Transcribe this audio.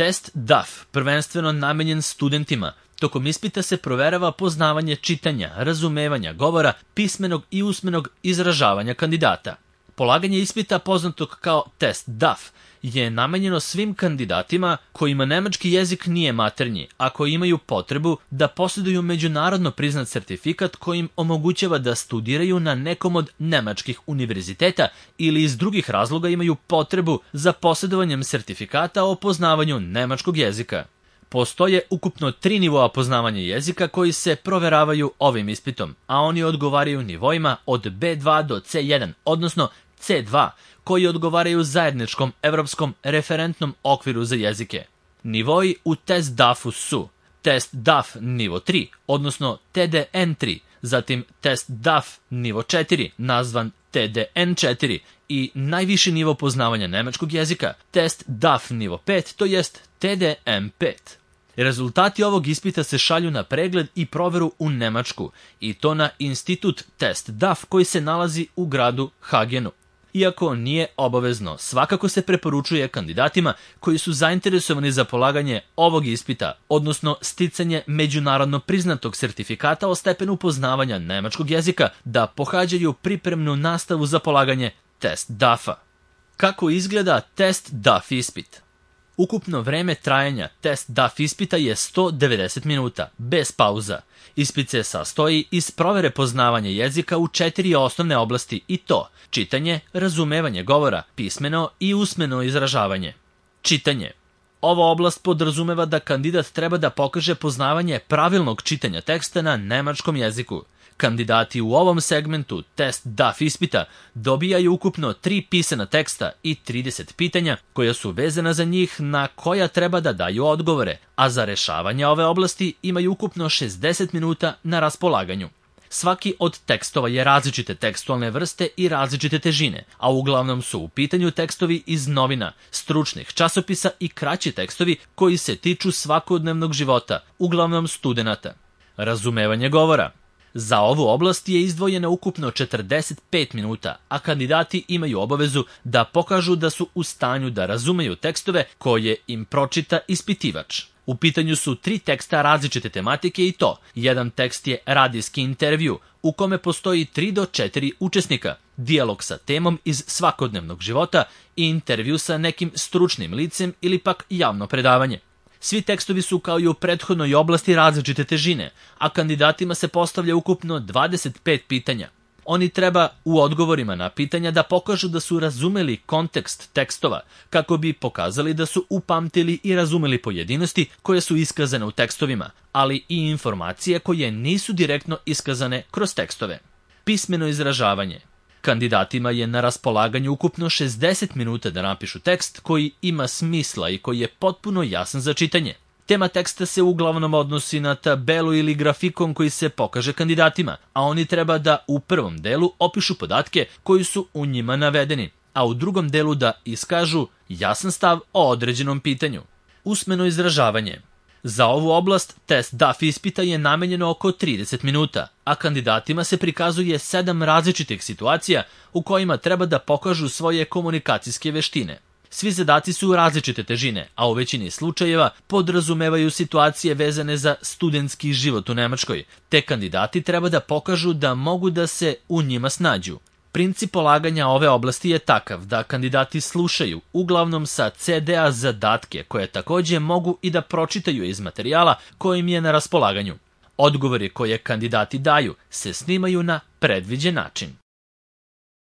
Test DAF, prvenstveno namenjen studentima, tokom ispita se proverava poznavanje čitanja, razumevanja govora, pismenog i usmenog izražavanja kandidata. Polaganje ispita, poznatog kao test DAF, je namenjeno svim kandidatima kojima nemački jezik nije maternji, a koji imaju potrebu da posjeduju međunarodno priznat sertifikat koji im omogućava da studiraju na nekom od nemačkih univerziteta ili iz drugih razloga imaju potrebu za posjedovanjem sertifikata o poznavanju nemačkog jezika. Postoje ukupno 3 nivoa poznavanja jezika koji se proveravaju ovim ispitom, a oni odgovaraju nivoima od B2 do C1, odnosno C2, koji odgovaraju zajedničkom evropskom referentnom okviru za jezike. Nivoi u test DAF-u su test DAF nivo 3, odnosno TDN3, zatim test DAF nivo 4, nazvan TDN4, i najviši nivo poznavanja nemačkog jezika, test DAF nivo 5, to jest TDM5. Rezultati ovog ispita se šalju na pregled i proveru u Nemačku, i to na institut test DAF koji se nalazi u gradu Hagenu. Iako nije obavezno, svakako se preporučuje kandidatima koji su zainteresovani za polaganje ovog ispita, odnosno sticanje međunarodno priznatog sertifikata o stepenu poznavanja nemačkog jezika, da pohađaju pripremnu nastavu za polaganje test DAF-a. Kako izgleda test DAF ispit? Ukupno vreme trajanja test DAF ispita je 190 minuta, bez pauza. Ispit se sastoji iz provere poznavanja jezika u 4 osnovne oblasti, i to čitanje, razumevanje govora, pismeno i usmeno izražavanje. Čitanje. Ova oblast podrazumeva da kandidat treba da pokaže poznavanje pravilnog čitanja teksta na nemačkom jeziku. Kandidati u ovom segmentu test DAF ispita dobijaju ukupno 3 pisana teksta i 30 pitanja koja su vezana za njih na koja treba da daju odgovore, a za rešavanje ove oblasti imaju ukupno 60 minuta na raspolaganju. Svaki od tekstova je različite tekstualne vrste i različite težine, a uglavnom su u pitanju tekstovi iz novina, stručnih časopisa i kraći tekstovi koji se tiču svakodnevnog života, uglavnom studenata. Razumevanje govora. Za ovu oblast je izdvojeno ukupno 45 minuta, a kandidati imaju obavezu da pokažu da su u stanju da razumeju tekstove koje im pročita ispitivač. U pitanju su 3 teksta različite tematike, i to jedan tekst je radijski intervju u kome postoji 3 do 4 učesnika, dijalog sa temom iz svakodnevnog života i intervju sa nekim stručnim licem ili pak javno predavanje. Svi tekstovi su kao i u prethodnoj oblasti različite težine, a kandidatima se postavlja ukupno 25 pitanja. Oni treba u odgovorima na pitanja da pokažu da su razumeli kontekst tekstova, kako bi pokazali da su upamtili i razumeli pojedinosti koje su iskazane u tekstovima, ali i informacije koje nisu direktno iskazane kroz tekstove. Pismeno izražavanje. Kandidatima je na raspolaganju ukupno 60 minuta da napišu tekst koji ima smisla i koji je potpuno jasan za čitanje. Tema teksta se uglavnom odnosi na tabelu ili grafikon koji se pokaže kandidatima, a oni treba da u prvom delu opišu podatke koji su u njima navedeni, a u drugom delu da iskažu jasan stav o određenom pitanju. Usmeno izražavanje. Za ovu oblast test DAF ispita je namenjeno oko 30 minuta, a kandidatima se prikazuje 7 različitih situacija u kojima treba da pokažu svoje komunikacijske veštine. Svi zadaci su različite težine, a u većini slučajeva podrazumevaju situacije vezane za studentski život u Nemačkoj, te kandidati treba da pokažu da mogu da se u njima snađu. Princip polaganja ove oblasti je takav da kandidati slušaju, uglavnom sa CD-a, zadatke koje takođe mogu i da pročitaju iz materijala kojim je na raspolaganju. Odgovori koje kandidati daju se snimaju na predviđen način.